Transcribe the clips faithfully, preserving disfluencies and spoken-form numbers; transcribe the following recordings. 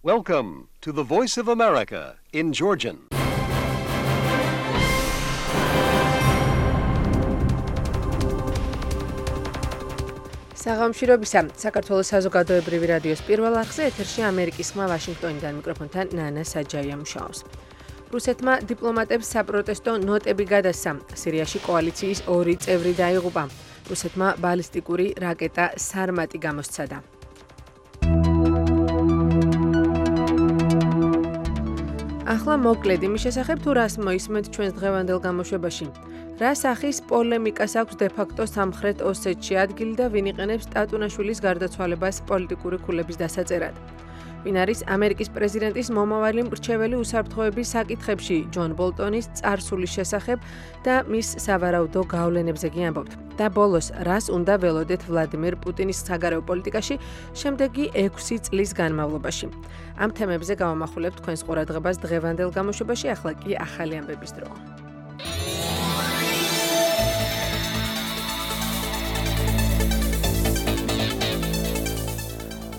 Welcome to the Voice of America in Georgian. საღამოშრობისა საქართველოს საზოგადოებრივი რადიოს პირველ არხზე ეთერში ამერიკის ხმა ვაშინგტონიდან მიკროფონთან ნანა საჯაია მუშაობს. რუსეთმა დიპლომატებს საპროტესტო ნოტები გადასცა. სირიაში კოალიციის ორი წევრი დაიღუპა. რუსეთმა ბალისტიკური რაკეტა სარმატი გამოსცადა. ახლა მოკლედ იმის შესახებ თუ რას მოისმენთ ჩვენს დღევანდელ გამოშვებაში. რა სახის პოლემიკას აქვს დე-ფაქტო სამხრეთ ოსეთში ადგილი და ვინ იყენებს ტატუნაშვილის გარდაცვალებას პოლიტიკური ქულების დასაწერად. ვინ არის ამერიკის პრეზიდენტის მომავალი მრჩეველი უსაფრთხოების საკითხებში ჯონ ბოლტონის წარსულის შესახებ და მის სავარაუდო გავლენებზე გიამბობთ. და ბოლოს რას უნდა ველოდეთ ვლადიმერ პუტინის საგარეო პოლიტიკაში შემდეგი ექვსი წლის განმავლობაში. ამ თემებზე გავამახვილებთ თქვენს ყურადღებას დღევანდელ გამოშვებაში, ახლა კი ახალი ამბების დრო.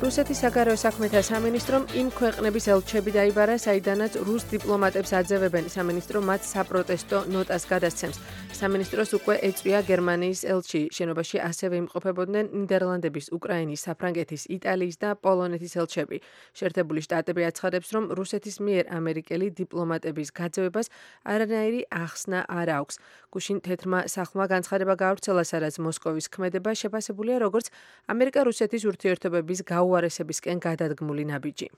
რუსეთის საგარეო საქმეთა სამინისტრომ იმ ქვეყნების ელჩები დაიბარა, საიდანაც რუს დიპლომატებს აძევებენ. სამინისტრო მათ საპროტესტო ნოტას გადასცემს. სამინისტროს უკვე ეწვია გერმანიის ელჩი. შენობაში ასევე იმყოფებოდნენ ნიდერლანდების, უკრაინის, საფრანგეთის, იტალიის და პოლონეთის ელჩები. შეერთებული შტატები აცხადებს, რომ რუსეთის მიერ ამერიკელი დიპლომატების გაძევებას არანაირი ახსნა არ აქვს. გუშინ თეთრმა სახლმა განცხადება გაავრცელა, სადაც მოსკოვის ქმედება შეფასებულია როგორც ამერიკა-რუსეთის ურთიერთობების გაუარესებისკენ გადადგმული ნაბიჯი.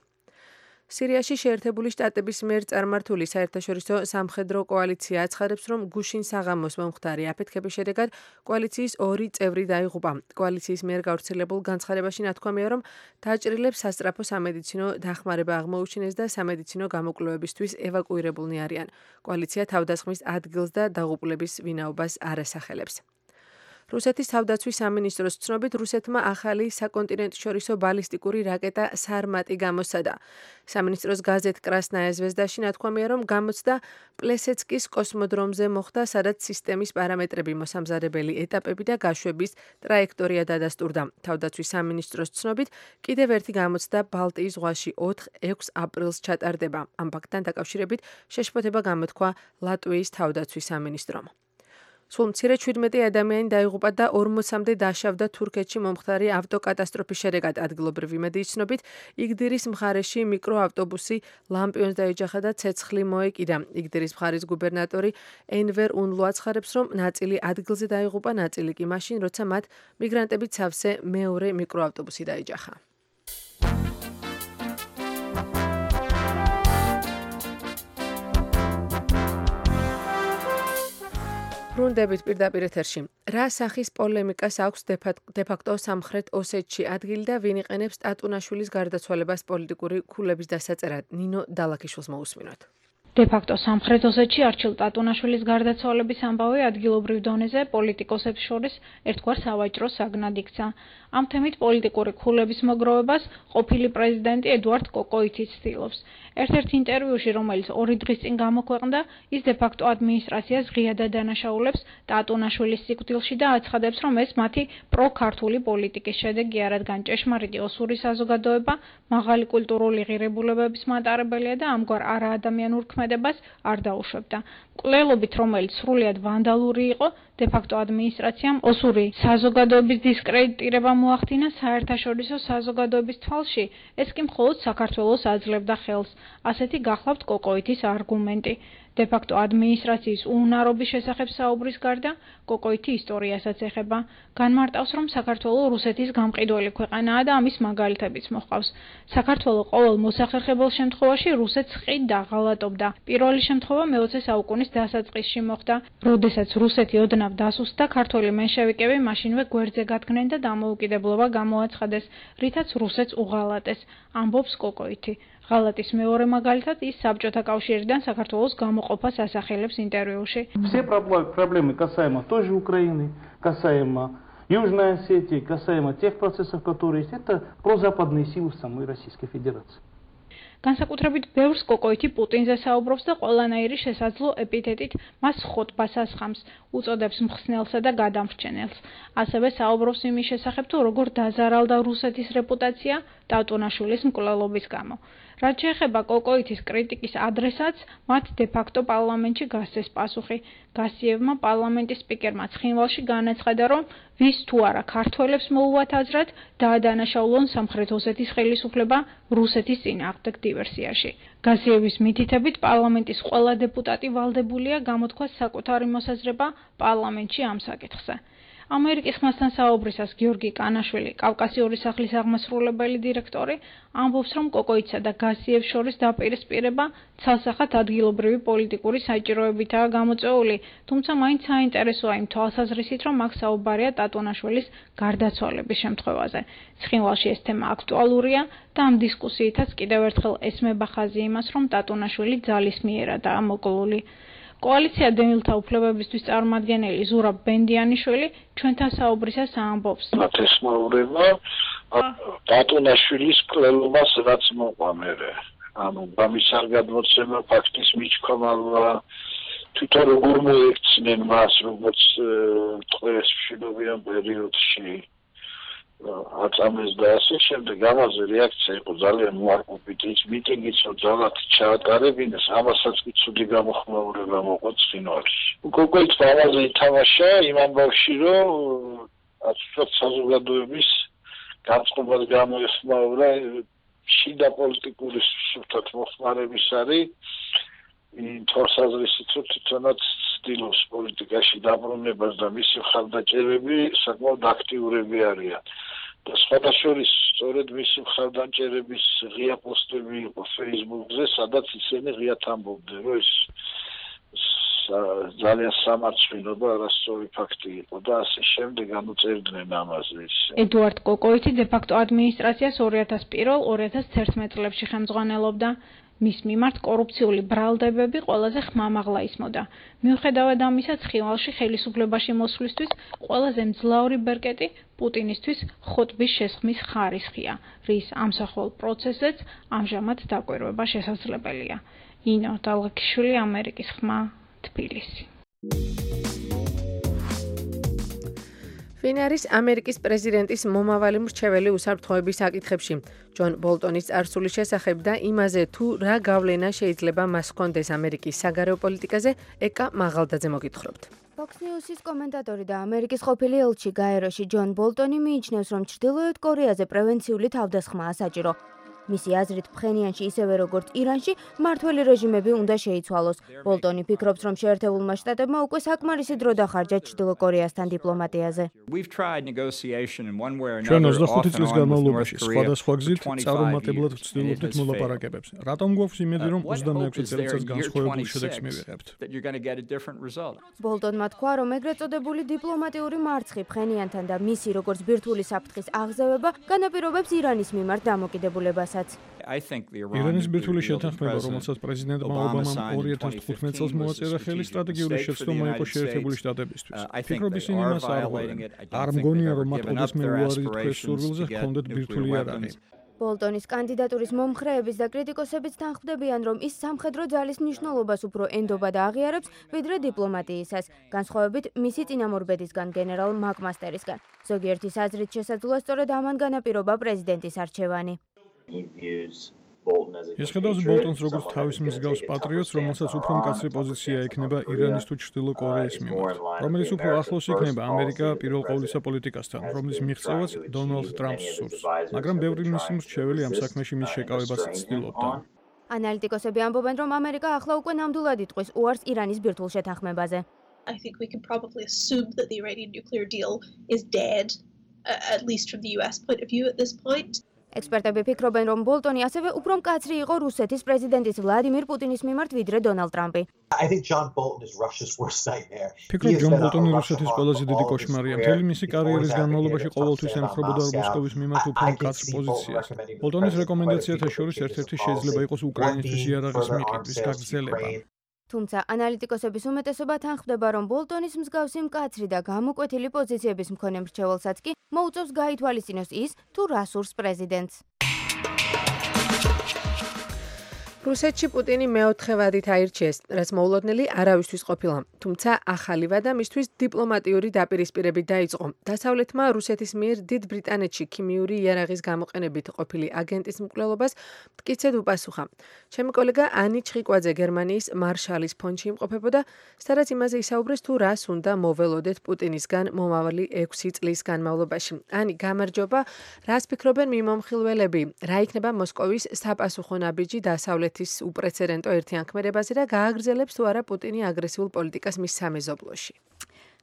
სირიაში შეერთებული შტატების მიერ წარმართული საერთაშორისო სამხედრო კოალიცია აცხადებს, რომ გუშინ საღამოს მომხდარი აფეთქების შედეგად კოალიციის ორი წევრი დაიღუპა. კოალიციის მიერ გავრცელებულ განცხადებაში ნათქვამია, რომ დაჭრილებს სასწრაფო სამედიცინო დახმარება აღმოუჩინეს და სამედიცინო გამოკვლევებისთვის ევაკუირებულნი არიან. კოალიცია თავდასხმის ადგილს და დაღუპულების ვინაობას არ ასახელებს. რუსეთის თავდაცვის სამინისტროს ცნობით, რუსეთმა ახალი საკონტინენტშორისო ბალისტიკური რაკეტა სარმატი გამოსცადა. სამინისტროს გაზეთ კრასნაია ზვეზდაში ნათქვამია, რომ გამოცდა პლესეცკის კოსმოდრომზე მოხდა, სადაც სისტემის პარამეტრები, მოსამზადებელი ეტაპები და გაშვების ტრაექტორია დადასტურდა. თავდაცვის სამინისტროს ცნობით, კიდევ ერთი გამოცდა ბალტიის ზღვაში ოთხ-ექვს აპრილს ჩატარდება. ამ ფაქტთან დაკავშირებით შეშფოთება გამოთქვა ლატვიის თავდაცვის სამინისტრომ. სულ მცირე შვიდმეტი ადამიანი დაიღუპა და ორმოცამდე დაშავდა თურქეთში მომხდარი ავტოკატასტროფის შედეგად. ადგილობრივი მედიის ცნობით, იგდირის მხარეში მიკროავტობუსი ლამპიონს დაეჯახა და ცეცხლი მოეკიდა. იგდირის მხარის გუბერნატორი ენვერ უნლუ აცხადებს, რომ ნაწილი ადგილზე დაიღუპა, ნაწილი კი მაშინ, როცა მათ მიგრანტებით სავსე მეორე მიკროავტობუსი დაეჯახა. ბრუნდებით პირდაპირ ეთერში. რა სახის პოლემიკას აქვს დე-ფაქტო სამხრეთ ოსეთში ადგილი და ვინ იყენებს ტატუნაშვილის გარდაცვალებას პოლიტიკური ქულების დასაწერად? ნინო დალაქიშვილს მოусმინოთ. დე-ფაქტო სამხრეთ ოსეთში არჩილ ტატუნაშვილის გარდაცვალების ამბავი ადგილობრივ დონეზე პოლიტიკოსებს შორის ერთგვარ სავაჭრო საგნად იქცა. ამ თემით პოლიტიკური ქულების მოგროვებას ყოფილი პრეზიდენტი ედუარდ კოკოიტი ცდილობს. ერთ-ერთ ინტერვიუში, რომელიც ორი დღის წინ გამოქვეყნდა, ის დე-ფაქტო ადმინისტრაციას ღიადად დანაშაულებს ტატუნაშვილის სიკვდილში და აცხადებს, რომ ეს მათი პრო-ქართული პოლიტიკის შედეგია, რადგან ჭეშმარიტი ოსური საზოგადოება მაღალი კულტურული ღირებულებების მატარებელია და ამგვარ არაადამიანურ ქმედებას არ დაუშვებდა. მკვლელობით, რომელიც სრულიად ვანდალური იყო, დე-ფაქტო ადმინისტრაციამ ოსური საზოგადოების დისკრედიტირება მოახდინა საერთაშორისო საზოგადოების თვალში, ეს კი მხოლოდ საქართველოს აძლევდა ხელს. ასეთი გახლავთ კოკოიტის არგუმენტი. დე-ფაქტო ადმინისტრაციის უუნარობის შესახებ საუბრის გარდა, კოკოიტი ისტორიასაც ეხება. განმარტავს, რომ საქართველო რუსეთის გამყიდველი ქვეყანაა და ამის მაგალითებიც მოჰყავს. საქართველო ყოველ მოსახერხებელ შემთხვევაში რუსეთს ხიდ დაღალატობდა. პირველი შემთხვევა მეოცე საუკუნის დასაწყისში მოხდა, როდესაც რუსეთი ოდნავ დასუსტდა, ქართველი მენშევიკები მაშინვე გვერდზე გადგნენ და დამოუკიდებლობა გამოაცხადეს, რითაც რუსეთს უღალატეს, ამბობს კოკოიტი. ღალატის მეორე მაგალითად ის საბჭოთა კავშირიდან საქართველოს გამოყოფას ასახელებს интервьюში. Все проблемы касаемо той же Украины, касаемо Южной Осетии, касаемо тех процессов, которые есть, это прозападные силы в самой Российской Федерации. განსაკუთრებით ბევრს კოკოიტი პუტინზე საუბრობს და ყველანაირი შესაძლო ეპითეტით მას ხოტბას ასხამს, უწოდებს მხსნელსა და გადამრჩენელს. ასევე საუბრობს იმის შესახებ, თუ როგორ დაზარალდა რუსეთის რეპუტაცია, ტატუნაშვილის მკვლელობის გამო. რაც შეეხება კოკოითის კრიტიკის ადრესატს, მათ დე-ფაქტო პარლამენტში გასცეს პასუხი. გასიევმა პარლამენტის სპიკერმა ცხინვალში განაცხადა, რომ ვის თუ არა ქართველებს მოუვათ აზრად, დაადანაშაულონ სამხრეთ ოსეთის ხელისუფლება რუსეთის წინააღმდეგ დივერსიაში. გასიევის მითითებით პარლამენტის ყველა დეპუტატი ვალდებულია გამოთქვას საკუთარი მოსაზრება პარლამენტში ამ საკითხზე. ამერიკის ხმასთან საუბრისას გიორგი კანაშვილი, კავკასიური სახლის აღმასრულებელი დირექტორი, ამბობს, რომ კოკოიცსა და გასიევს შორის დაპირისპირება ცალსახად ადგილობრივი პოლიტიკური საჭიროებითაა გამოწვეული, თუმცა მაინც საინტერესოა იმ თვალსაზრისით, რომ აქ საუბარია ტატუნაშვილის გარდაცვალების შემთხვევაზე. ცხინვალში ეს თემა აქტუალურია და ამ დისკუსიითაც კიდევ ერთხელ ესმება ხაზი იმას, რომ ტატუნაშვილი ძალისმიერადაა მოკლული. კოალიცია დევნილთა უფლებებისთვის წარმომადგენელი ზურაბ ბენდიანიშვილი ჩვენთან საუბრისას ამბობს. მათ ესმაურება ტატუნაშვილის მკვლელობას, რაც მოყვა მერე. ანუ ამის არ გადმოცემა ფაქტის მიჩქომალვა, თვითონ როგორ მოექცნენ მას, როგორც ტყეს მშვიდობიან პერიოდში აწამეს და ასე შემდეგ. ამაზე რეაქცია იყო ძალიან უარყოფითი, ის მიტინგიც ძალად ჩაატარებინეს, ამასაც კი ცუდი გამოხმაურება მოყვა ცხინვალში. კოკოიცმა ამაზე ითამაშა იმ ამბავში, რომ აცուցოთ საზოგადოების განწყობას გამოეხმაურა შიდა პოლიტიკური სუსტად მოხმარების არის იმ თვალსაზრისით, რომ თვითონაც ცდილობს პოლიტიკაში დაბრუნებას და მისი მხარდაჭერები საკმაოდ აქტიურები არიან. და სხვადასხვა სწორედ მისი მხარდაჭერების ღია პოსტები იყო Facebook-ზე, სადაც ისინი ღიად ამბობდნენ, რომ ეს ძალიან სამარცხვინო და არასწორი ფაქტი იყო და ასე შემდეგ განუწერდნენ ამაზე. ედუარდ კოკოითი დე-ფაქტო ადმინისტრაციას ორი ათას პირველ ორი ათას თერთმეტ წლებში ხელმძღვანელობდა. მის მიმართ კორუფციული ბრალდებები ყველაზე ხმამაღლა ისმოდა. მიუხედავად ამისა, ცხინვალში ხელისუფლებაში მოსვლისთვის ყველაზე მძლავრი ბერკეტი პუტინისთვის ხოტბის შესხმის ხარისხია, რის ამსახველ პროცესზეც ამჟამად დაკვირვება შესაძლებელია. ინო დალღაკიშვილი, ამერიკის ხმა, თბილისი. ვინ არის ამერიკის პრეზიდენტის მომავალი მრჩეველი უსაფრთხოების საკითხებში? ჯონ ბოლტონის წარსულის შესახებ და იმაზე, თუ რა გავლენა შეიძლება მას ჰქონდეს ამერიკის საგარეო პოლიტიკაზე, ეკა მაღალდაძე მოგითხრობთ. Fox News-ის კომენტატორი და ამერიკის ყოფილი ელჩი გაეროში ჯონ ბოლტონი მიიჩნევს, რომ ჩრდილოეთ კორეაზე პრევენციული თავდასხმაა საჭირო. მისი აზრით, ფხენიანში ისევე როგორც ირანში მმართველი რეჟიმები უნდა შეიცვალოს. ბოლტონი ფიქრობს, რომ შეერთებულმა შტატებმა უკვე საკმარისი დრო დახარჯა ჩრდილო კორეასთან დიპლომატიაზე. ჩვენ ოცდახუთი წლის განმავლობაში სხვადასხვა გზით წარუმატებლად ვცდილობდით მოლაპარაკებებს. რატომ გვაქვს იმედი, რომ ოცდამეექვსე წელიწადს განსხვავებულ შედეგს მივიღებთ? ბოლტონმა თქვა, რომ ეგრეთ წოდებული დიპლომატიური მარცხი ფხენიანთან და მისი როგორც ბირთვული საფრთხის აღზევება განაპირობებს ირანის მიმართ დამოკიდებულებას. ირანის ბირთვული შეთანხმება, რომელსაც პრეზიდენტმა ობამამ ორი ათას თხუთმეტ წელს მოაწერა ხელი, სტრატეგიული შეცდომა იყო შეერთებული შტატებისთვის. ფიქრობ ისინი მას არ ღვევენ. არ მგონია, რომ მათ ოდესმე უარი თქვეს სურვილზე ჰქონდეთ ბირთვული იარაღი. ბოლტონის კანდიდატურის მომხრეების და კრიტიკოსებიც თანხმდებიან, რომ ის სამხედრო ძალის მნიშვნელობას უფრო ენდობა და აღიარებს, ვიდრე დიპლომატიისას, განსხვავებით მისი წინამორბედისგან გენერალ მაკმასტერისგან. ზოგიერთის აზრით შესაძლოა სწორედ ამან განაპირობა პრეზიდენტის არჩევანი. ეს ხედავს ბოლტონს როგორც თავის მსგავს პატრიოტს, რომელსაც უფრო მკაცრი პოზიცია ექნება ირანის თუ ჩრდილო კორეის მიმართ, რომელიც უფრო ახლოს იქნება ამერიკა პირველ ყოვლისა პოლიტიკასთან, რომლის მიღწევაც დონალდ ტრამპს სურს. მაგრამ ბევრი მისი მრჩეველი ამ საქმეში მის შეკავებას ცდილობდა. ანალიტიკოსები ამბობენ, რომ ამერიკა ახლა უკვე ნამდვილად იტყვის უარს ირანის ბირთვულ შეთანხმებაზე. I think we can probably assume that the Iranian nuclear deal is dead, uh, at least from the U S point of view at this point. ექსპერტები ფიქრობენ, რომ ბოლტონი ასევე უფრო მკაცრი იყო რუსეთის პრეზიდენტის ვლადიმირ პუტინის მიმართ ვიდრე დონალდ ტრამპი. ფიქრობ, ჯონ ბოლტონი რუსეთის ყველაზე დიდი კოშმარია. მთელი მისი კარიერის განმავლობაში ყოველთვის ემხრობოდა მოსკოვის მიმართ უფრო მკაცრ პოზიციას. ბოლტონის რეკომენდაციათა შორის ერთ-ერთი შეიძლება იყოს უკრაინისთვის იარაღის მიყიდვის გაგრძელება. თუმცა ანალიტიკოსების უმეტესობა თანხმდება, რომ ბოლტონის მსგავსი მკაცრი და გამოკვეთილი პოზიციების მქონე მრჩეველსაც კი მოუწევს გაითვალისწინოს ის, თუ რა სურს პრეზიდენტს. რუსეთში პუტინი მეოთხე ვადით აირჩიეს, რაც მოულოდნელი არავისთვის ყოფილა. თუმცა ახალი ვადა მისთვის დიპლომატიური დაპირისპირებით დაიწყო. დასავლეთმა რუსეთის მიერ დიდ ბრიტანეთში ქიმიური იარაღის გამოყენებით ყოფილი აგენტის მკვლელობას მტკიცედ უპასუხა. ჩემი კოლეგა ანი ჩხიკვაძე გერმანიის მარშალის ფონდში იმყოფებოდა, სადაც იმაზე ისაუბრეს თუ რას უნდა მოველოდეთ პუტინისგან მომავალი ექვსი წლის განმავლობაში. ანი, გამარჯობა, რას ფიქრობენ მიმომხილველები? რა იქნება მოსკოვის საპასუხო ნაბიჯი დასავლეთ ის უპრეცედენტო ერთიანქმედებაზე და გააგრძელებს თუ არა პუტინი აგრესიულ პოლიტიკას მის სამეზობლოში.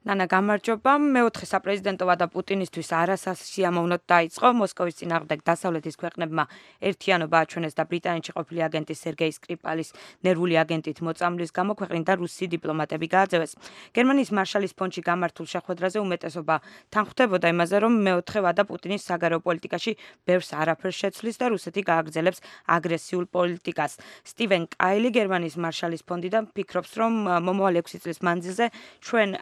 ნანა გამარჯობა, მეოთხე საპრეზიდენტო ვადა პუტინისთვის არასასიამოვნოდ დაიწყო. მოსკოვის წინააღმდეგ დასავლეთის ქვეყნებმა ერთიანობა აჩვენეს და ბრიტანეთში ყოფილი აგენტი სერგეი სკრიპალის ნერვული აგენტით მოწამვლის გამო ქვეყნიდან რუსი დიპლომატები გააძევეს. გერმანიის მარშალის ფონდში გამართულ შეხვედრაზე უმეტესობა თანხმდებოდა იმაზე, რომ მეოთხე ვადა პუტინის საგარეო პოლიტიკაში ბევრს არაფერს შეცვლის და რუსეთი გააგრძელებს აგრესიულ პოლიტიკას. სტივენ კაილი გერმანიის მარშალის ფონდიდან ფიქრობს, რომ მომავალი ექვსი წლის მანძილზე ჩვენ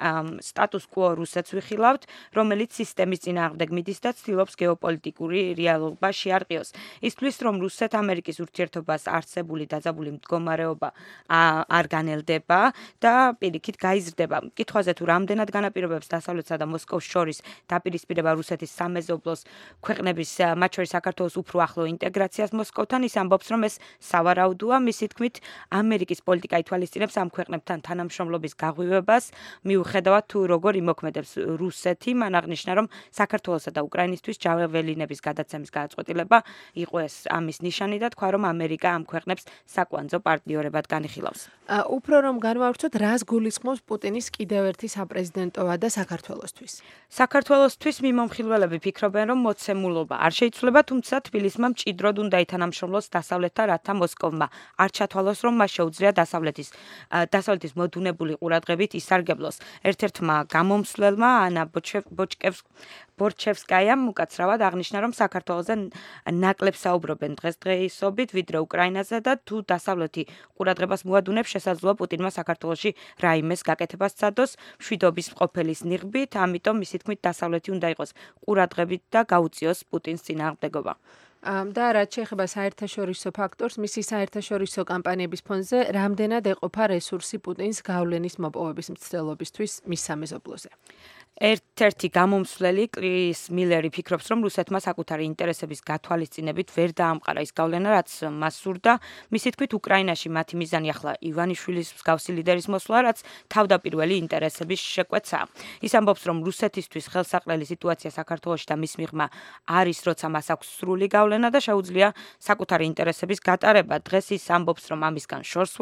სტატუს quo რუსეთს ვიხილავთ, რომელიც სისტემის წინააღმდეგ მიდის და ცდილობს გეოპოლიტიკური რეალობა შეარყიოს. ის თვლის, რომ რუსეთ-ამერიკის ურთიერთობას არსებული დაძაბული მდგომარეობა არ განელდება და პირიქით გაიზრდება. კითხვაზე თუ რამდენად განაპირობებს დასავლეთსა და მოსკოვს შორის დაპირისპირება რუსეთის სამეზობლოს ქვეყნების, მათ შორის საქართველოს უფრო ახლო ინტეგრაციას მოსკოვთან, ის ამბობს, რომ ეს სავარაუდოა. მისი თქმით, ამერიკის პოლიტიკა ითვალისწინებს ამ ქვეყნებთან თანამშრომლობის გაღვივებას, მიუხედავად თუ როგორ იმოქმედებს რუსეთი, მან აღნიშნა, რომ საქართველოსა და უკრაინისთვის ჯაველინების გადაცემის გადაწყვეტილება იყო ეს ამის ნიშანი და თქვა, რომ ამერიკა ამ ქვეყნებს საკვანძო პარტნიორებად განიხილავს. უფრო რომ განვავრცოთ, რას გულისხმობს პუტინის კიდევ ერთი საპრეზიდენტო ვადა საქართველოსთვის? საქართველოსთვის მიმომხილველები ფიქრობენ, რომ მოცემულობა არ შეიცვლება, თუმცა თბილისმა მჭიდროდ უნდა ითანამშრომლოს დასავლეთთან, რათა მოსკოვმა არ ჩათვალოს, რომ მას შეუძლია დასავლეთის დასავლეთის მოდუნებული ყურადღებით ისარგებლოს. ერთ-ერთმა გამომსვლელმა ანა ბორჩევსკაიამ უკაცრავად აღნიშნა, რომ საქართველოზე ნაკლებ საუბრობენ დღესდღეობით, ვიდრე უკრაინაზე და თუ დასავლეთი ყურადღებას მოადუნებს, შესაძლოა პუტინმა საქართველოში რაიმეს გაკეთებას სცადოს მშვიდობის ყოფილის ნიღბით, ამიტომ მისი თქმით დასავლეთი უნდა იყოს ყურადღებით და გაუწიოს პუტინს წინააღმდეგობა. და რაც შეეხება საერთაშორისო ფაქტორს, მისი საერთაშორისო კამპანიების ფონზე რამდენად ეყოფა რესურსი პუტინს გავლენის მოპოვების მცდელობისთვის მის სამეზობლოზე? ერთ-ერთი გამომსვლელი კრის მილერი ფიქრობს, რომ რუსეთმა საკუთარი ინტერესების გათვალისწინებით ვერ დაამყარა ის გავლენა, რაც მას სურდა. მისი თქმით, უკრაინაში მათი მიზანი ახლა ივანიშვილის მსგავსი ლიდერის მოსვლა, რაც თავდაპირველი ინტერესების შეკვეცაა. ის ამბობს, რომ რუსეთისთვის ხელსაყრელი სიტუაცია საქართველოში და მის მიღმა არის, როცა მას აქვს სრული გავლენა და შეუძლია საკუთარი ინტერესების გატარება. დღეს ის ამბობს, რომ ამისგან შორს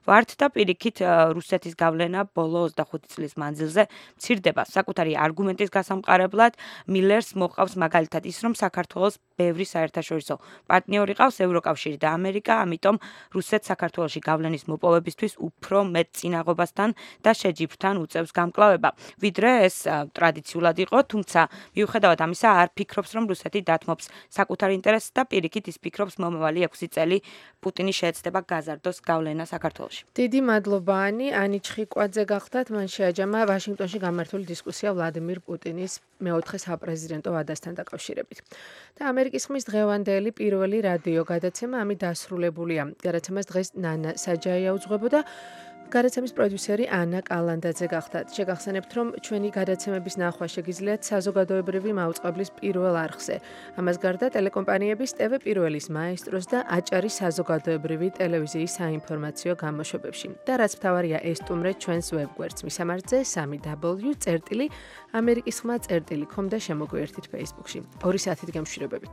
ვართ და პირიქით რუსეთის გავლენა ბოლო ოცდახუთი წლის მანძილზე მცირდება. საკუთარი არგუმენტის გასამყარებლად მილერს მოყავს მაგალითად ის, რომ საქართველოს ბევრი საერთაშორისო პარტნიორი ყავს, ევროკავშირი და ამერიკა, ამიტომ რუსეთს საქართველოში გავლენის მოპოვებისთვის უფრო მეტ წინაღობასთან და შეჯიბრთან უწევს გამკლავება, ვიდრე ეს ტრადიციულად იყო, თუმცა მიუხედავად ამისა არ ფიქრობს, რომ რუსეთი დათმობს საკუთარ ინტერესს და პირიქით ის ფიქრობს, მომავალი ექვსი წელი პუტინი შეეცდება გაზარდოს გავლენა საქართველოში. დიდი მადლობა ანი, ანი ჩხიკვაძე გახდათ, მან შეაჯამა ვაშინგტონში გამართული დისკუსია ვლადიმირ პუტინის მეოთხე საპრეზიდენტო ვადასთან დაკავშირებით. და ამერიკის ხმის დღევანდელი პირველი რადიო გადაცემა ამით დასრულებულია. გადაცემას დღეს ნანა საჯაია უძღვებოდა. გადაცემის პროდიუსერი ანა კალანდაძე გახდათ. შეგახსენებთ, რომ ჩვენი გადაცემების ნახვა შეგიძლიათ საზოგადოებრივი მაუწყებლის პირველ არხზე. ამას გარდა ტელეკომპანიების ტევ პირველის მაესტროს და აჭარის საზოგადოებრივი ტელევიზიის საინფორმაციო გამოშვებებში. და რაც მთავარია, ესტუმრეთ ჩვენს ვებგვერდს მისამართზე სამი დაბლიუ წერტილი ამერიკის ხმა წერტილი com და შემოგვიერთით Facebook-ში. ორი საათით გემშვიდობებით.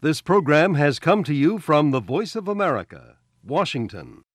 This program has come to you from the Voice of America, Washington.